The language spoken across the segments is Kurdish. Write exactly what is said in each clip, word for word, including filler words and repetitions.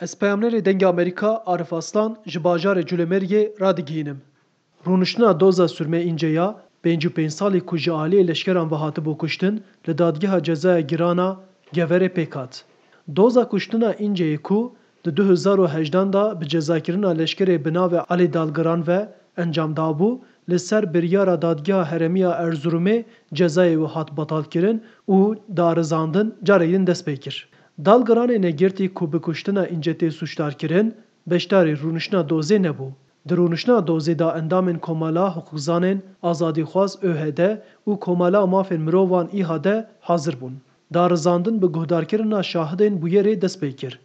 Ez peyamnerê Dengê Amerîka Arif Aslan ji bajarê Culemêrgê radigihînim. Rûniştina doza Sûrme Înce ya pêncî û pênc salî ku ji aliyê leşkeran ve hatibû kuştin, li Dadgeha Cezaya Giran a Geverê pêk hat. Doza kuştina Înceyê ku di du hezar û hejdan de bi cezakirina leşkerê bi navê Alî Dalgiran ve encam dabû, li ser biryara Dadgeha Herêmî ya Erzurumê cezayê wî hat betalkirin û darizandin careke din dest pê kir. Dalgiranê negirtî ku bi kuştina Înce tê sûcdarkirin, beşdarî rûniştina dozê nebû. Di rûniştina dozê de endamên Komela Hiqûqzanên Azadîxwaz, ÖHD, û Komela Mafên Mirovan, ÎHD, hazir bûn. Darizandin bi guhdarkirina şahidên bûyerê dest pê kir.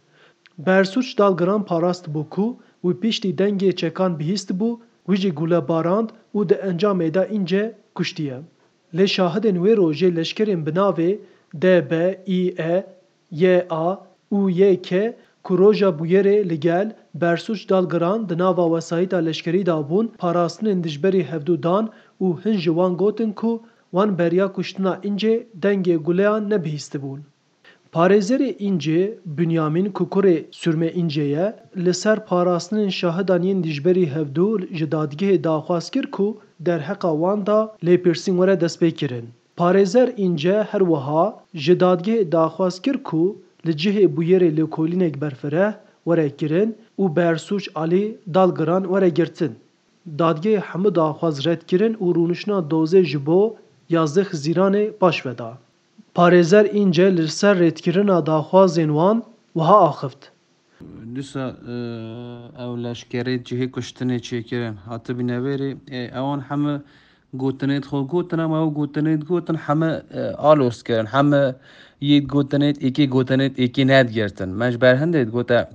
Bersûc Dalgiran parastibû ku wî piştî dengê çekan bihîstibû, wî jî gule barand û di encamê de Înce kuştiye. Lê şahidên wê rojê leşkerên bi navê D B, İ E, Y A û Y K ku roja bûyerê li gel Bersûc Dalgiran di nava wesayîta leşkerî de bûn, parastinên dijberî hevdû dan û hin ji wan gotin ku wan beriya kuştina Încê dengê guleyan nebihîstibûn. Parêzerê Încê, Binyamîn, ku kurê Sûrme Încê ye, li ser parastinên şahidan yên dijberî hevdû ji dadgehê daxwaz kir ku derheqa wan de lêpirsîn were destpêkirin. Parêzer Încê her wiha ji dadgehê daxwaz kir ku li cihê bûyerê lêkolînek berfireh were kirin û Bersûc Alî Dalgiran were girtin. Dadgehê hemû daxwaz red kirin û rûniştina dozê ji bo yazdeh Hizîranê paş ve da. Parêzer Încê li ser redkirina daxwazên wan wiha axift. Dîsa, e, ew leşkerê cihê kuştinê çêkirin. Hatibîne vêrê, e, ewan heme gotinêt xwe gotin, em ew gotinêt gotin, heme, e, alos kirin. Heme yêt gotinêt, êkê gotinêt, êkê nedgirtin. Me ji ber hindê digote,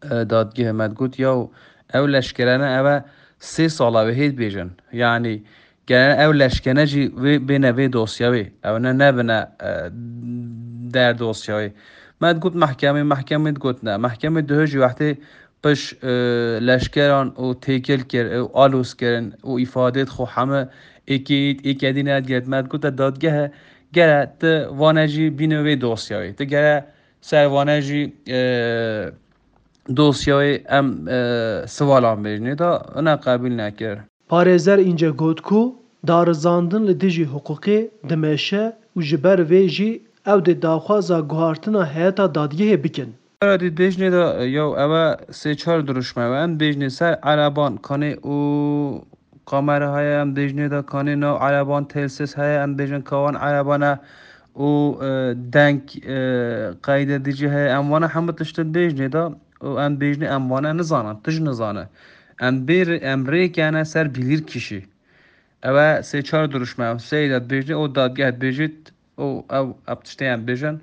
e, dadgehê me digot, yaw, ew leşkerene ev e sê sala wê hê dibêjin. Yanî, gerek ew leşkene jî wê bêne vê dosyayê. Ew ne nebine, e, der dosyayê. Me digot mehkemê, mehkemê digot ne. Mehkemê diho jî wextê piş, e, leşkeran û têkil kir, û alos kirin û îfadêt xwe heme êkê yît, êkê dî nedgirt. Me digot te dadgehe, gere ti vane jî bîne vê dosyayê. Ti gere ser vane jî, e, dosyayê em, e, sivalan bêjinê da, ina qebûl nekir. Parêzer Încê got ku darizandin li dijî hiqûqê dimeşe û ji ber vê jî ew dê daxwaza guhartina heyeta dadgehê bikin. Ara dî bêjinê da, yaw, ev e sê çar dirûşme, ew em bêjinê ser ereban kanê û kamera heye, em bêjinê da kanê nav ereban telsiz heye, em bêjin ka wan erebane û, e, deng, e, qeyde dijî heye, em wana hemû tiştin bêjinê da û em bêjinê em wana nizanin, tij nizane. Em bêr-, em rêkene ser bilîrkişî. Ew e sê çar dirûşme, ew seyda dibêjinê û dadgeh dibêjit û ew, ev tiştê em bêjin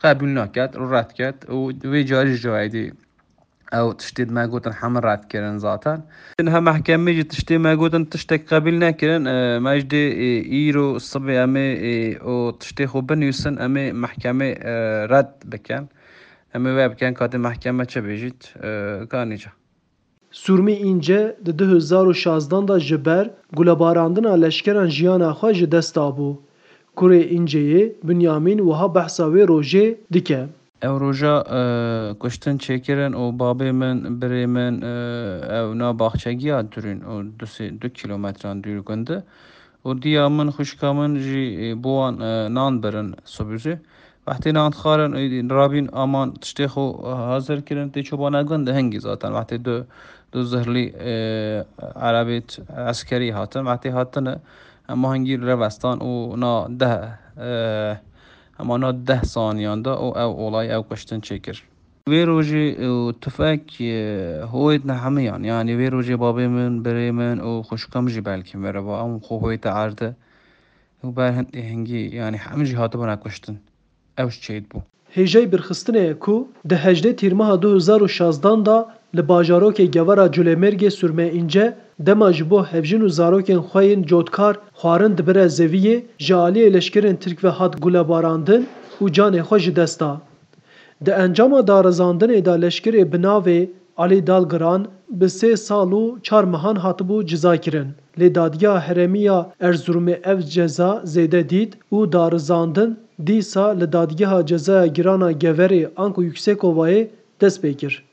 qebûl naket û red ket û wê carî ji cayê dî ew tiştê me gotin hemû red kirin zaten. Niha mehkemê jî tiştê me gotin tiştek qebîl nekirin. E, me ji dê, e, îro sibê em ê, e, o tiştê xwe binivîsin, em ê mehkemê, e, red bikin. Em ê wê bikin, katê mehkeme çi bêjît, e, ka nîca. Sûrmî Înce di du hezar û şazdan de ji ber gulebarandina leşkeran jiyana xwe ji dest dabû. Kurê Înceyê, Binyamîn, wiha behsa wê rojê dike. Ew roja, e, kuştin çêkirin û babê min, birê min, e, ew na baxçegiya durîn û du sê, du kîlometran dûr gund e. Û diya min, xwişka min jî, e, bo wan, e, nan birin sibûzê. Wextê nan dixwarin, e, rabîn aman tiştê xwe hazir kirin, tê çobana gund hingî zaten. Wextê du, du zihlî, e, erebêt eskerî hatin. Wextê hatine, em hingî revestan û na deh, e, Hema na deh saniyan de û ew olay, ew kuştin çêkir. Wê rojê û tufek, e, hoyêt ne hemiyan. Yanî wê rojê babê min, birê min û xwişka min jî belkî meriva. Em xwe hoyte erde. Û ber hindê hingî, yanî hemî jî hatibûne kuştin. Ew ji çêt bû. Hêjayî birxistinê ye ku di hejdê Tîrmeha du hezar û şazdan de li bajarokê Gewera Culemêrgê Sûrme Înce dema ji bo hevjin û zarokên xwe yên cotkar xwarin dibire zeviyê, ji aliyê leşkerên Tirk ve hat gulebarandin û canê xwe ji dest da. Di encama darizandinê de leşkerê bi navê Alî Dalgiran bi sê sal û çar mehan hatibû cizakirin. Lê Dadgeha Herêmî ya Erzurumê ev ceza zêde dît û darizandin dîsa li Dadgeha Cezaya Giran a Geverê anku Yuksekovayê dest pê kir.